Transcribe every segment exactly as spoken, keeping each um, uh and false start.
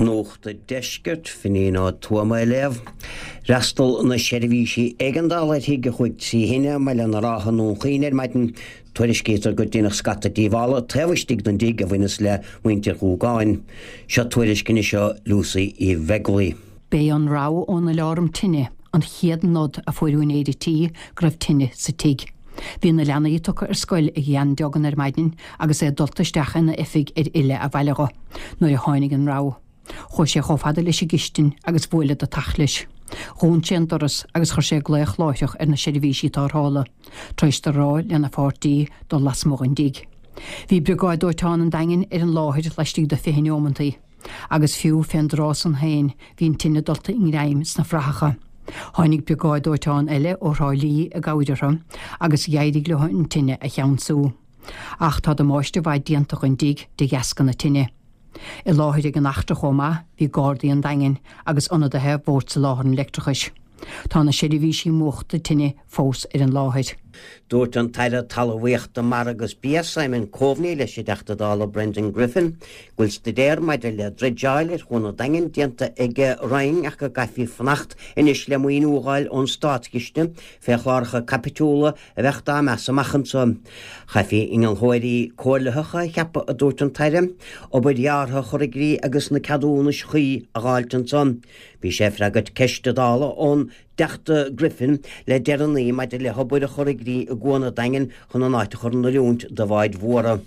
Nuacht an Deiscirt, Finín Ó Tuama á léamh. D'fhreastail na seirbhísí éigeandála ar thigh a chuaigh trí thine i mBaile na Rátha i nDún Chaoin ar maidin. Tuairiscítear gur deineadh scata díobhála taobh istigh den dtigh a bhaineas le muintir Dhúgáin. Seo tuairisc anois ó Lucy Uí Bheaglaoi. B'é an rabhadh ón aláram tine an chéad nod a fuair úinéir an tí go raibh tine sa tigh. Bhí na leanaí tugtha ar scoil ag Jan Duggan ar maidin agus é dulta isteach ina oifig ar fhilleadh abhaile dho, nuair a tháinig an rabhadh. Chuaigh sé chomh fada leis an gcistin agus bhuail i dtacht leis. Dhún sé an doras agus chuir sé glaoch láithreach ar na seirbhísí tarrthála, tar éis dó rá lena pháirtí dul lasmuigh den dtigh. Bhí briogáid dóiteáin an Daingin ar an láthair laistigh de fiche neomantaí, agus fiú fén dtráth san féin bhí an tine dulta i ngreim sna frathacha. Tháinig briogáid dóiteáin eile ó Thrá Lí i gcabhair orthu agus d'éirigh leo an tine a cheansú. Ach tá damáiste mhaith déanta don dtigh de dheasca na tine. I láthair ag an eachtra chomh maith bhí Gardaí an Daingin agus ionadaithe Bhord Soláthair an Leictreachais. Tá na seirbhísí múchta tine fós ar an láthair. Dúirt an tAire Talmhaíochta Mara agus Bia Simon Coveney leis an dTeachta Dála Brendan Griffin, go bhfuil staidéar maidir le dreideáil ar Chuan an Daingin déanta ag a Roinn ach go gcaithfí fanacht anois le maoiniú a fháil ón státchiste fé chláracha caipitiúla a bheadh dá meas amach anseo. Chaithfí innealtóirí comhairlitheacha a cheapadh, a dúirt an tAire, obair dheartha a chur i gcrích agus na ceadúnais chuí a dh'fháilt ansan. Bhí sé ag freagairt ceiste Dála ón dTeachta Griffin le deireanaí maidir le hobair a chur i gcrích i gCuan an Daingin chun an áit a chur in oiriúint do bháid mhóra.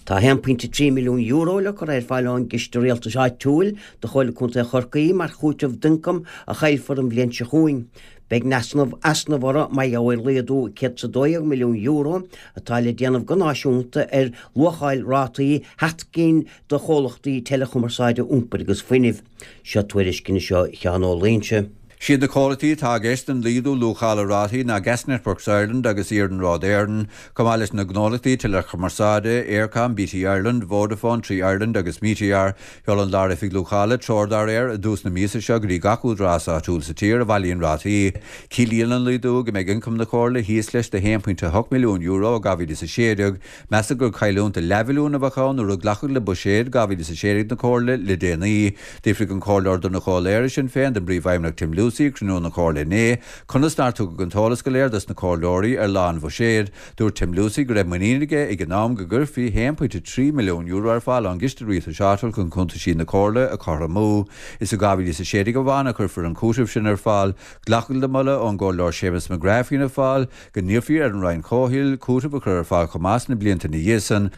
Tá a haon pointe trí milliún euro le cur ar fáil ón gCiste Rialtais Áitiúil do Chomhairle Contae Chorcaí mar chúiteamh d'ioncam a chaillfear an bhliain seo chugainn. Beidh easnamh easnamh orthu mar gheall ar laghdú céad is a dó dhéag milliún euro atá le déanamh go náisiúnta ar luacháil rátaí sheacht gcinn de chomhlachtaí teileachumarsáide iompair agus fuinnimh. Seo tuairisc anois ó Sheán Ó Loingsigh. Siad na comhlachtaí atá i gceist don laghdú luachála rátaí ná Gas Networks Ireland agus Iarnród Éireann, chomh maith leis na gnólachtaí teileachumarsáide, Eircom, BT Ireland, Vodafone, Three Ireland agus Meteor. Sheol an Lár-Oifig Luachála treoir dá réir i dtús na míosa seo go dtí gach údarás áitiúil sa tír a bhailíonn rátaí. Ciallaíonn an laghdú go mbeidh ioncam na Comhairle thíos leis de haon pointe a hocht milliún euro i dhá mhíle is a sé déag. Measadh gur cailliúint de leathmhilliún a bheadh ann nuair a glacadh le buiséad dhá mhíle is a sé déag na Comhairle le déanaí. D'fhiafraigh an Comhairleoir Donncha Ó Laoghaire Sinn Féin den bPríomhfheidhmeannach Tim Lucey ag cruinniú na Comhairle inné, conas nár tugadh an t-eolas go léir dos na comhairleoirí ar lá an bhuiséid. Dúirt Tim Lucey go raibh muinín aige ag an am go gcuirfí haon pointe trí milliún euro ar fáil ón gCiste Rialtais Áitiúil chun cuntaisí na Comhairle a chothromú. Is i dhá mhíle is a sé déag amháin a chuirfear an cúiteamh sin ar fáil. Glacadh le moladh ón gComhairleoir Séamus McGrath Fianna Fáil go n-iarrfaí ar an Roinn Comhshaoil cúiteamh a chur ar fáil chomh maith sna blianta ina dhiaidh san.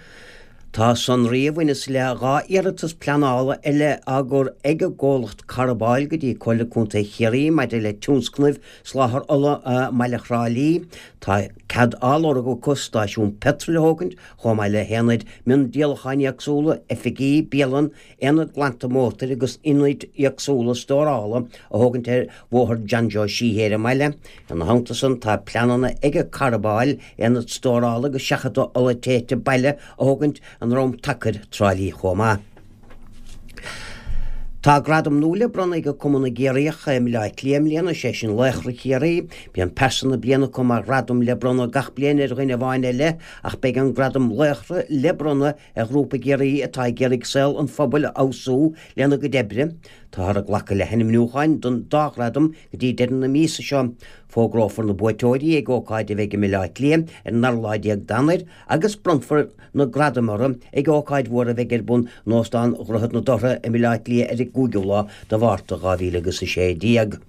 Tá sonraí a bhaineas le dhá iarratas pleanála eile á gcur ag an gcomhlacht Carbáil go dtí Comhairle Contae Chiarraí maidir le tionscnaimh soláthair ola i mbaile Thrá Lí. Tá cead á lorg acu stáisiún peitril a thógaint chomh maith le haonaid miondíolacháin éagsúla, oifigí, bialann, aonad glanta mótair agus ionaid éagsúla stórála a thógaint ar Bhóthar John Joe Sheehy ar an mbaile. Ina theannta san, tá pleananna ag Carbáil aonad stórála agus seachadta ola téite baile a thógaint i nDrom Tacair, Trá Lí chomh maith. Tá gradam nua le bronnadh ag Cumann na gCiarraíoch i mBaile Átha Cliath i mbliana, sé sin Laochra Chiarraí. Bíonn Pearsa na Bliana acu mar ghradam le bronnadh gach bliain ar dhuine amháin ar leith ach beidh an gradam Laochra le bronnadh ar ghrúpa i gCiarraí atá ag iarraidh saol an phobail a fheabhsú lena gcuid oibre. Táthar ag glacadh le hainmniúcháin don dá ghradam go dtí deireadh na míosa seo. Fógrófar na buaiteoirí ag ócáid a bheidh i mBaile Átha Cliath ar an dara lá déag d'Eanáir agus bronnfar na gradaim orthu ag ócáid mhór a bheidh ar bun in Óstán Dhroichead na Dothra i mBaile Átha Cliath ar an gcúigiú lá de Mhárta dhá mhíle agus a sé déag.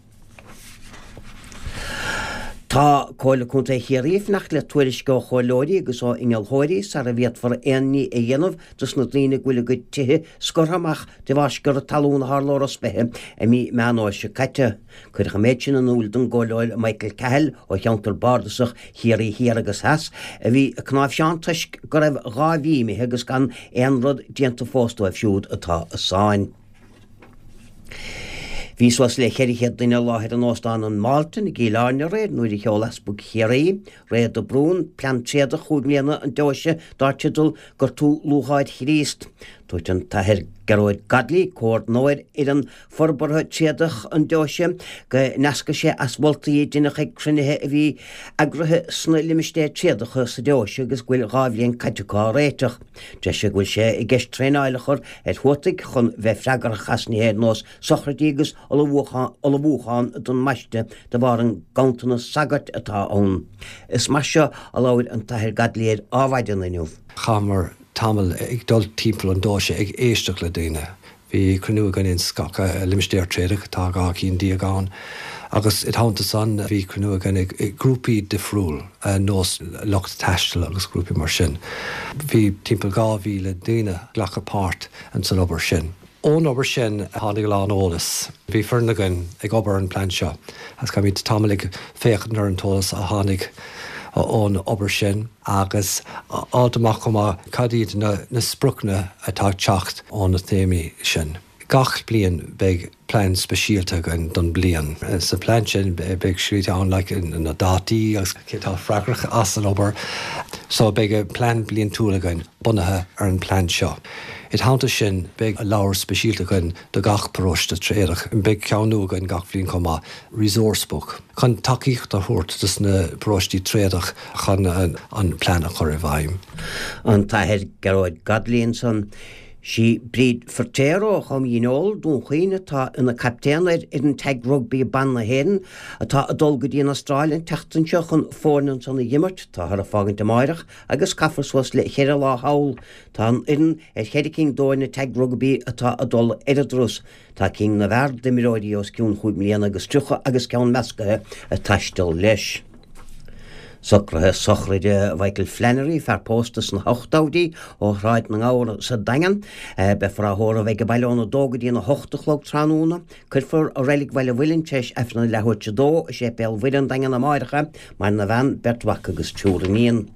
Tá Comhairle Contae Chiarraí ag fanacht le tuairisc ó chomhairleoirí agus ó innealtóirí sara bhféadfar aon ní a dhéanamh dos na daoine go bhfuil a gcuid tithe scortha amach de bharr sciorradh talún a tharla ó Ros Beithe i mí Meán Fhómhair seo caite. Cuireadh an méid sin in iúl don gComhairleoir Michael Cahill ó cheantar bardasach Chiarraí Thiar agus Theas a bhí ag cnáimhseán toisc go raibh dhá mhí imithe agus gan aon rud déanta fós dóibh siúd atá i sáinn. Bhí suas le ceithre chéad duine i láthair in Óstán an Mhalton i gCill Airne aréir nuair a sheol Easpag Chiarraí, Ray de Brún, plean tréadach chúig mbliana an deoise dar teideal Gortú Lúcháir Chríost. Dúirt an tAthair Gearóid Godley, comhordnóir fhoireann forbartha tréadach an deoise, go n-eascair sé as moltaí a deineadh ag cruinnithe a bhí eagraithe sna limistéir tréadacha sa deoise agus go bhfuil dhá bhliain caite acu á réiteach. Deir sé go bhfuil sé i gceist traenáil a chur ar thuataigh chun bheith freagrach as nithe ar nós sochraidí agus ullmhúchán don mbaisteadh de bharr an ganntanas sagart atá ann. Is mar seo a labhair an tAthair Godley ar Adhmhaidin inniu. Chaitheamar tamall ag dul timpeall an deoise ag éisteacht le daoine. Bhí cruinniú againn ins gach limistéar tréadach, tá dhá cinn déag ann, agus i dteannta san bhí cruinniú againn ag grúpaí difriúil, nós lucht taistil agus grúpaí mar sin. Bhí timpeall dhá mhíle daoine ag glacadh páirt ins an obair sin. Ón obair sin tháinig a lán eolas. Bhí foireann againn ag obair ar an bplean seo agus chaith muid tamall ag féachaint ar an t-eolas a tháinig ón obair sin agus fháilt amach chomh maith cad iad na spriocanna atá ag teacht ó na téamaí sin. Gach bliain beidh plean speisialta againn don bliain. Sa plean sin beidh scríte ann like na dátaí agus cé atá freagrach as an obair. So beidh plean bliantúil againn bunaithe ar an plean seo. I dteannta sin beidh leabhar speisialta againn do gach paróiste tréadach. Beidh ceann nua againn gach bhliain chomh maith, resource book, chun tacaíocht a thabhairt dos na paróistí tréadach chun an plean a chur i bhfeidhm. An tAthair Gearóid Godley ansan. Sí Bríd Feirtéar ó Chom Dhíneol, Dún Chaoin atá ina captaen ar fhoireann Tag Rugbaí Ban na hÉireann atá ag dul go dtí an Astráil an tseachtain seo chun foirne ansan a dh'imirt. Táthar ag fágaint amáireach agus caithfear suas le cheithre lá thall. Tá an fhoireann ar cheithre cinn d'fhoirne Tag Rugbaí atá ag dul ar an dturas. Tá cinn na bhfear d'imreoirí os cionn chúig mbliana agus tríocha agus ceann meascaithe ag taisteal leis. Socruithe sochraide Mhichael Flannery, fear pósta sna hochtóidí ó Shráid na nGabhar sa Daingean. Beifear á thórramh ag an baile óna dó go dtí an a hocht a chlog tráthnóna. Cuirfear i Reilig Bhaile Mhuilinn tar éis Aifreann a leathuair tar éis a dó i Séipéal Mhuire an Daingean amáireach é. Maireann a bhean, beirt mhac agus triúr iníon.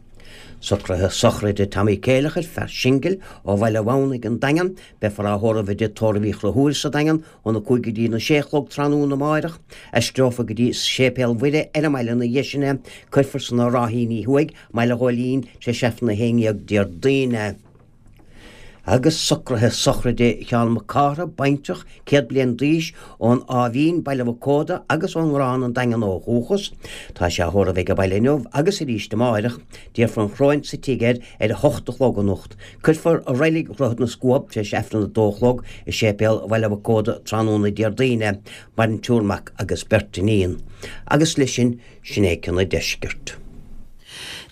Socruithe sochraide Tommy Céileachair, fear singil ó Bhaile Mhamhnaigh an Daingean. Beifear á thórramh i dTigh Tórraimh Uí Chonchúir sa Daingean óna cúig go dtí na sé a chlog tráthnóna amáireach. Aistreofar go dtí Séipéal Mhuire ar an mbaile ina dhiaidh sin é. Cuirfear sna Ráithíní Thuaidh, mBaile Ghóilín, tar éis Aifreann a haon dhéag Déardaoin é. Agus socruithe sochraide Sheán Mac Cártha, baintreach, céad bliain d'aois, ón Áth Mhín, Baile Mhic Óda agus ón nGrán, an Daingean ó dhúchas. Tá sé á thórramh ag an baile inniu agus arís amáireach. Déarfar an choróin sa tigh air ar a hocht a chlog anocht. Cuirfear i Reilig Dhroichead na Scuab tar éis Aifreann a dó a chlog i Séipéal Bhaile Mhic Óda tráthnóna Déardaoin é. Maireann triúr mac agus beirt iníon. Agus leis sin, sin é cionn an deiscirt.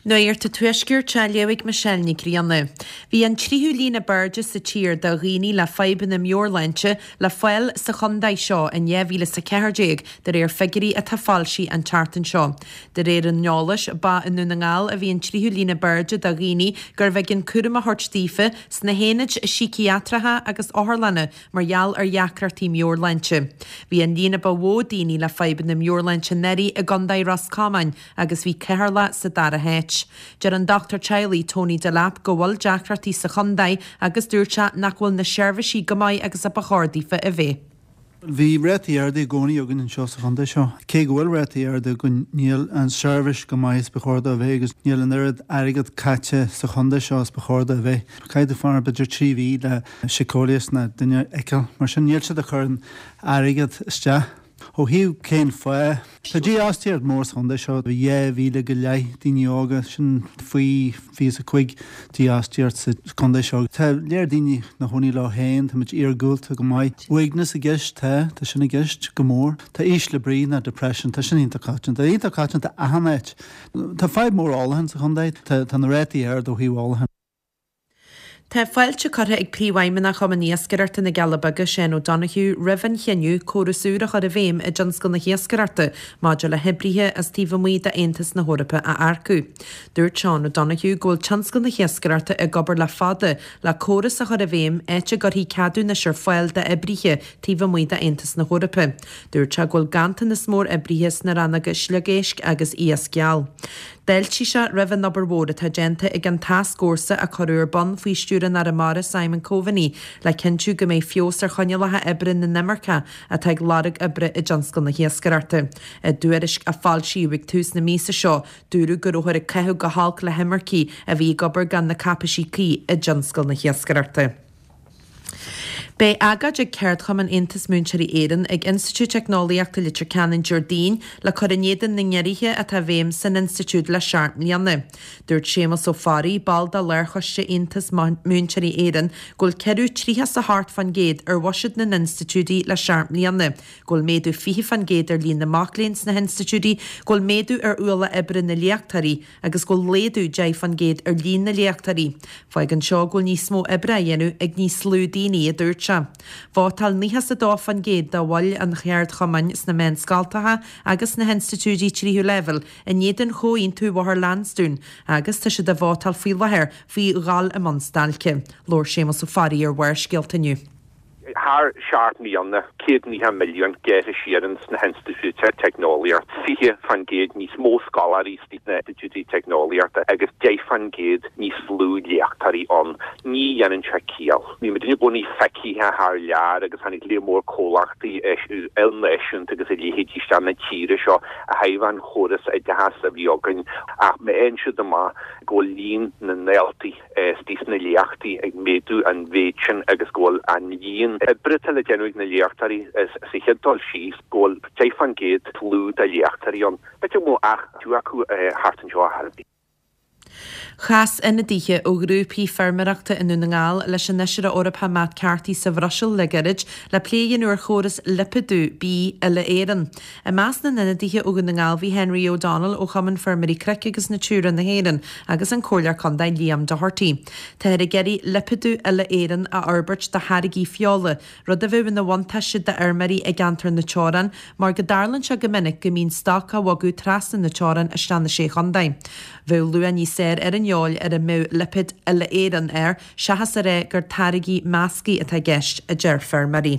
Nuacht an Tuaiscirt á léamh ag Michelle Ní Ghrianna. Bhí an tríú líne b'airde sa tír do dhaoine le fadhbanna meabhairshláinte le fáil sa chontae seo in dhá mhíle is a ceathair déag, de réir figiúirí atá foilsithe an tseachtain seo. De réir an eolais, ba i nDún na nGall a bhí an tríú líne b'airde do dhaoine gurbh éigean cúram a thabhairt daofa sna haonaid síciatracha agus otharlanna mar gheall ar dheacrachtaí meabhairshláinte. Bhí an líne ba mhó daoine le fadhbanna meabhairshláinte anuraidh i gContae Ros Comáin agus bhí Ceatharlach sa dara háit. Deir an dochtúir teaghlaigh Tony Delap go bhfuil deacrachtaí sa chontae agus dúirt sé nach bhfuil na seirbhísí go maith agus a ba chóir daofa a bheith. Bhí rátaí arda i gcónaí againn anseo sa chontae seo. Cé go bhfuil rátaí arda againn, níl an seirbhís go maith is ba chóir dó a bheith agus níl an oiread airgead caite sa chontae seo is ba chóir dó a bheith. Caithfidh tú fanacht b'fhéidir trí mhí le síceolaí nó duine a fheiceáil. Mar sin níl siad ag cur an airgead isteach. Ó thaobh cén fáth? Tá dífhostaíocht mór sa chontae seo, dhá mhíle go leith daoine óga, sin faoi fiche is a cúig dífhostaíocht sa chontae seo. Tá léir daoine ina chónaí leo féin, táimid iargúlta go maith. Uaigneas i gceist, tá, tá sin i gceist go mór. Tá ísle brí ná depression, tá sin iontach coitianta, iontach coitianta achan áit. Tá fadhb mór ólacháin sa chontae, tá na rátaí ard ó thaobh ólacháin. Tá fáilte curtha ag Príomhfheidhmeannach Chumann Iascaireachta na gCealla Beaga, Seán O'Donoghue, roimh an chinneadh córas úr a chur i bhfeidhm i dtionscal na hiascaireachta maidir le hoibrithe as taobh amuigh d'Aontas na hEorpa a earcú. Dúirt Seán O'Donoghue go bhfuil tionscal na hiascaireachta ag obair le fada le córas a chur i bhfeidhm áit a gcuirfí ceadúnais ar fáil d'oibrithe taobh amuigh d'Aontas na hEorpa. Dúirt sé go bhfuil ganntanas mór oibrithe sna rannóga sliogéisc agus iasc geal. D'fháiltigh sé roimh an obair mhór atá déanta ag an tascfhórsa a cuireadh ar bun faoi stiúir an Aire Mara Simon Coveney le cinntiú go mbeidh feabhas ar choinníollacha oibre na n-imirceach atá ag lorg oibre i dtionscal na hiascaireachta. I dtuairisc a foilsíodh ag tús na míosa seo, dúradh go rabhthar ag caitheamh go holc le himircigh a bhí ag obair gan na cáipéisí cuí i dtionscal na hiascaireachta. Beidh agóid ag Ceardchumann Aontas Múinteoirí Éireann ag Institiúid Teicneolaíochta Leitir Ceanainn Déardaoin le cur in éadan na ngiorruithe atá i bhfeidhm san institiúid le seacht mbliana. Dúirt Séamus Ó Fearraigh, ball de Lárchoiste Aontas Múinteoirí Éireann, go bhfuil ciorrú tríocha is a hocht fán gcéad ar bhuiséad na n-institiúidí le seacht mbliana, go bhfuil méadú fiche fán gcéad ar líon na mac léinn sna hinstitiúidí, go bhfuil méadú ar ualach oibre na léachtóirí agus go bhfuil laghdú deich fán gcéad ar líon na léachtóirí. Fágann seo go bhfuil níos mó oibre á dhéanamh ag níos lú daoine, a dúirt sé. Vótáil nócha is a dó fán gcéad de bhaill an cheardchumainn sna meánscoltacha agus sna hinstitiúidí tríú leibhéal in éadan Chomhaontú Bhóthar Lansdún agus tá siad ag vótáil faoi láthair faoi dhul i mbun stailce. Labhair Séamus Ó Fearraigh ar Bharrscéalta inniu. Thar seacht mbliana, céad naocha milliún gearrtha siar ins na hinstitiúidí teicneolaíochta, fiche fán gcéad níos mó scoláirí sna hinstitiúidí teicneolaíochta agus deich fán gcéad níos lú léachtóirí ann. Ní dhéanann sé ciall. Bhí muid i gcónaí feicthe thar lear agus tháinig léar mór comhlachtaí ilnáisiúnta agus a leithéidí isteach na tíre seo a thaobh an chóras oideachais a bhí againn ach má fhaigheann siad amach go bhfuil líon na ndaltaí istigh sna léachtaí ag méadú an mhéid sin agus go bhfuil an líon oibre atá le déanamh ag na léachtóirí sa chéad dul síos, go bhfuil deich fán gcéad lú de léachtóirí ann. B'fhéidir go mbeadh ach two acu thart anseo ar chor ar bith. Chas ionadaithe ó ghrúpaí feirmeoireachta i nDún na nGall leis an Fheisire Eorpach Matt Carthy sa Bhruiséil le gairid le plé a dhéanamh ar chóras lipéadú bídh uile-Éireann. I measc na n-ionadaithe ó Dhún na nGall bhí Henry O'Donnell ó Chumann Feirmeoirí Cnoic agus Natura na hÉireann agus an Comhairleoir Contae Liam Doherty. Táthar ag iarraidh lipéadú uile-Éireann a fhorbairt do tháirgí feola, rud a bheadh ina bhuntáiste d'fheirmeoirí i gceantar na teorann mar go dtarlaíonn sé go minic go mbíonn stoc á bhogadh trasna na teorann isteach na Sé Chontae. Bheadh luach níos fearr ar an fheoil ar a mbeadh lipéad uile-Éireann air seachas a rá gur táirgí measctha atá i gceist, a deir feirmeoirí.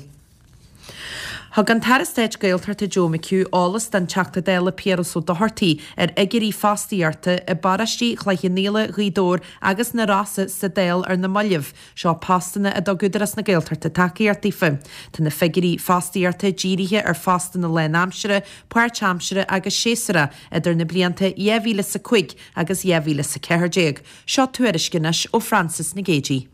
Thug an tAire Stáit Gaeltachta Joe McHugh eolas don Teachta Dála Piaras Ó Dochartaigh ar fhigiúirí fostaíochta i bparóistí Chloich Cheann Fhaola, Ghaoth Dobhair agus na Rosa sa Dáil ar na mallaibh. Seo postanna a dtug Údarás na Gaeltachta tacaíocht daofa. Tá na figiúirí fostaíochta dírithe ar phostanna lánaimseartha, páirtaimseartha agus séasúrach idir na blianta dhá mhíle is a cúig agus dhá mhíle is a ceathair déag. Seo tuairisc anois ó Frances Nic Géadaigh.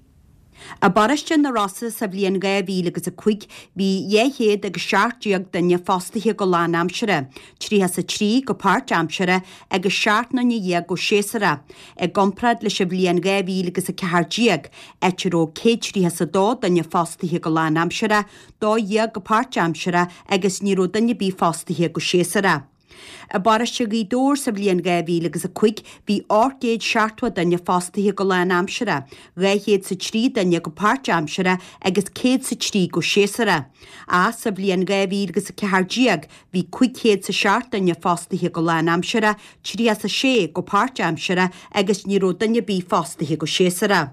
I bparóiste na Rosa sa bhliain dhá mhíle agus a cúig bhí dhá chéad agus seacht déag duine fostaithe go lánaimseartha, tríocha is a trí go páirtaimseartha agus seacht nduine dhéag go séasúrach, i gcomparáid leis an bhliain dhá mhíle agus a ceathair déag, áit a raibh céad tríocha is a dó duine fostaithe go lánaimseartha, dó dhéag go páirtaimseartha agus ní raibh duine ar bith fostaithe go séasúrach. I bparóiste Ghaoth Dobhair sa bhliain dhá mhíle agus a cúig bhí ocht gcéad seachtó duine fostaithe go lánaimseartha, dhá chéad 's a trí duine go páirtaimseartha agus céad 's a trí go séasúrach. Ach sa bhliain dhá mhíle agus a ceathair déag bhí cúig chéad 's a seacht duine fostaithe go lánaimseartha, tríocha 's a sé go páirtaimseartha agus ní raibh duine ar bith fostaithe go séasúrach.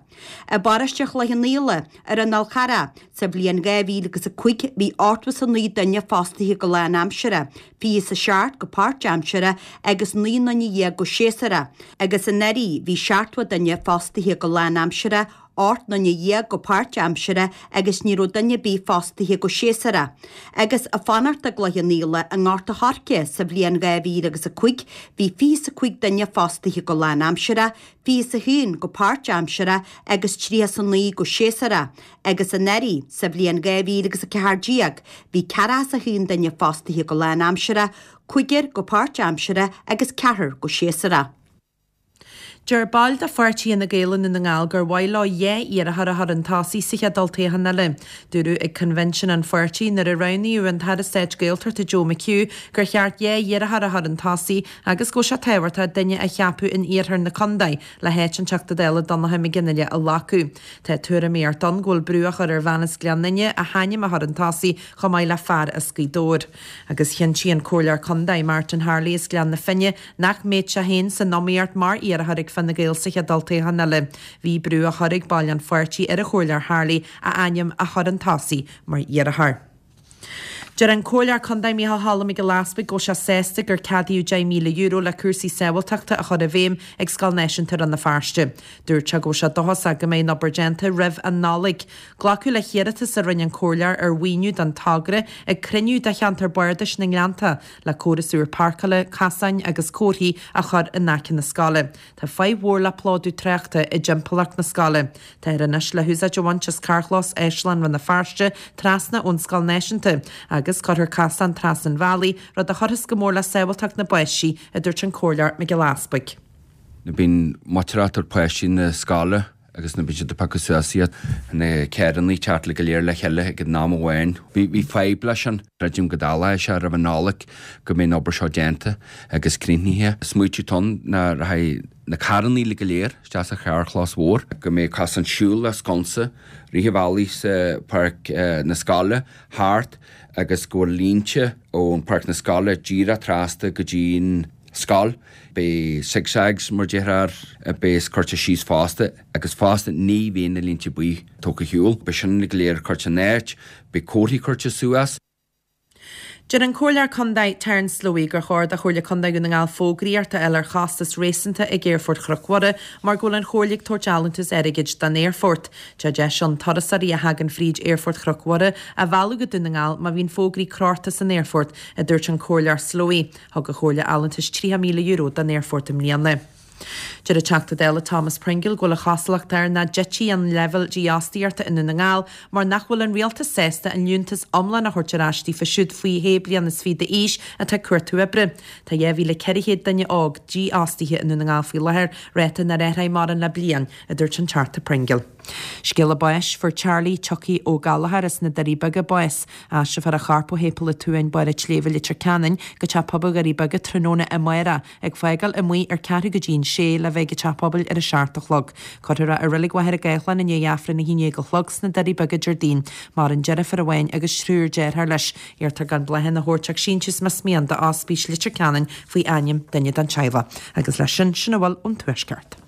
I bparóiste Chloich Cheann Fhaola, ar an Fhál Charrach, sa bhliain dhá mhíle agus a cúig bhí ochtó 's a naoi duine fostaithe go lánaimseartha, fiche 's a seacht go páirtaimseartha agus naoi nduine dhéag go séasúrach, agus anuraidh bhí seachtó duine fostaithe go lánaimseartha, ocht nduine dhéag go páirtaimseartha agus ní raibh duine ar bith fostaithe go séasúrach. Agus ag fanacht i gCloich Cheann Fhaola i nGort a' Choirce sa bhliain dhá mhíle agus a cúig bhí fiche 's a cúig duine fostaithe go lánaimseartha, fiche 's a haon go páirtaimseartha agus tríocha 's a naoi go séasúrach, agus anuraidh, sa bhliain dhá mhíle agus a ceathair déag, bhí ceathracha 's a haon duine fostaithe go lánaimseartha, cúigear go páirtaimseartha agus ceathrar go séasúrach. Deir baill de pháirtí Fhine Gael i nDún na nGall gur mhaith leo dhá iarrthóir a chur chun tosaigh sa chéad olltoghchán eile. Dúradh ag coinbhinsiún an pháirtí nuair a roghnaíodh an tAire Stáit Gaeltachta Joe McHugh gur cheart dhá iarrthóir a chur chun tosaigh agus go bhfuil sé tábhachtach duine a cheapadh in iarthar na contae le háit an Teachta Dála Donnchadh Mac Fhionnghaile a ghlacadh. Tá tuairimíocht ann go bhfuil brú á chur ar bhean as Gleann Fhinne a hainm a chur chun tosaigh chomh maith le fear as Gaoth Dobhair. Agus chinntigh an Comhairleoir Contae Martin Harley as Gleann na Finne nach mbeadh sé féin san iomaíocht mar iarrthóir ag Fine Gael sa chéad olltoghchán eile. Bhí brú á chur ag baill an pháirtí ar an Chomhairleoir Harley a ainm a chur chun tosaigh mar iarrthóir. Deir an Comhairleoir Contae Micheál Choilm Mac Giolla Easbuig go bhfuil sé sásta gur ceadaíodh deich míle euro le cúrsaí sábháilteachta a chur i bhfeidhm ag Scoil Náisiúnta Rann na Feirste. Dúirt sé go bhfuil sé dóchasach go mbeidh an obair déanta roimh an Nollaig. Glacadh le hiarratas a rinne an Comhairleoir ar mhaoiniú don togra ag cruinniú de cheantar Bardais na nGleannta le córas úr páirceála, casáin agus comharthaí a chur in aice na scoile. Tá fadhb mhór le plódú tráchta i dtimpeallacht na scoile. Táthar anois le húsáid a bhaint as carrchlós Áislann Rann na Feirste trasna ón Scoil Náisiúnta agus cuirfear casán trasna an bhealaigh, rud a chuirfeas go mór le sábháilteacht na bpáistí, a dúirt an Comhairleoir Mac Giolla Easbuig. Nuair bíonn muintir páistí na scoile agus nuair bíonn siad ag piocadh suas iad na carranna ag teacht le go léir le chéile ag an am amháin. Bhí bhí fadhb leis sin. Creidim go dtarlóidh sé roimh an Nollaig go mbeidh an obair seo déanta agus críochnaithe. Smaoitiú ann ná rachaidh na carranna le go léir isteach sa charrchlós mhór, go mbeidh cosán siúil le sconsa rith an bhealaigh sa páirc na scoile thart agus go bhfuil línte ón páirc na scoile díreach trasna go dtí'n scoil. Beidh zigzags mar déarfá a bheas curtha síos fosta agus fosta ní bhíonn na línte buí tógtha ar shiúl. Beidh sin go léir curtha in áit, beidh comharthaí curtha suas. Deir an Comhairleoir Contae Terence Slowey gur chóir do Chomhairle Contae Dhún na nGall fógraíocht a fháil ar chostas réasúnta ag Aerfort Chnoc Mhuire mar go bhfuil an Chomhairle ag tabhairt allúntas airgid don aerfort. Tá deis ann turasóirí a thagann fríd Aerfort Chnoc Mhuire a mhealladh go Dún na nGall má bhíonn fógraí crochta san aerfort, a dúirt an Comhairleoir Slowey. Thug an Chomhairle allúntas tríocha míle euro don aerfort i mbliana. Deir an Teachta Dála Thomas Pringle go bhfuil an chosúlacht air nach dtitfidh an leibhéal dífhostaíochta i nDún na nGall mar nach bhfuil an rialtas sásta an liúntas iomlán a thabhairt ar ais daofa siúd faoi shé bliana is fiche d'aois atá ag cuartú oibre. Tá dhá mhíle ceithre chéad duine óg dífhostaithe i Ndún na nGall faoi láthair, ráta nár athraigh mórán le bliain, a dúirt an Teachta Pringle. Scéala báis, Fuair Charlie Chucky Ó Gallchóir as na Doirí Beaga bás. Aistreofar a chorp ó Shéipéal an tSuain, Baile an tSléibhe, Leitir Ceanainn, go Teach Pobail Dhoirí Beaga tráthnóna amárach, ag fágáil amuigh ar ceathrú go dtí an sé le bheith ag an Teach Pobail ar a seacht a chlog. Cuirfear é i Reilig Mhachaire Gathlán i ndiaidh Aifreann a haon déag a chlog sna Doirí Beaga Déardaoin. Maireann deirfiúr amháin agus triúr dearthár leis. Iarrtar gan bláthanna a thabhairt ach síntiús más mian do Ospís Leitir Ceanainn faoi ainm duine den teaghlach. Agus leis sin, sin a bhfuil ón Tuaisceart.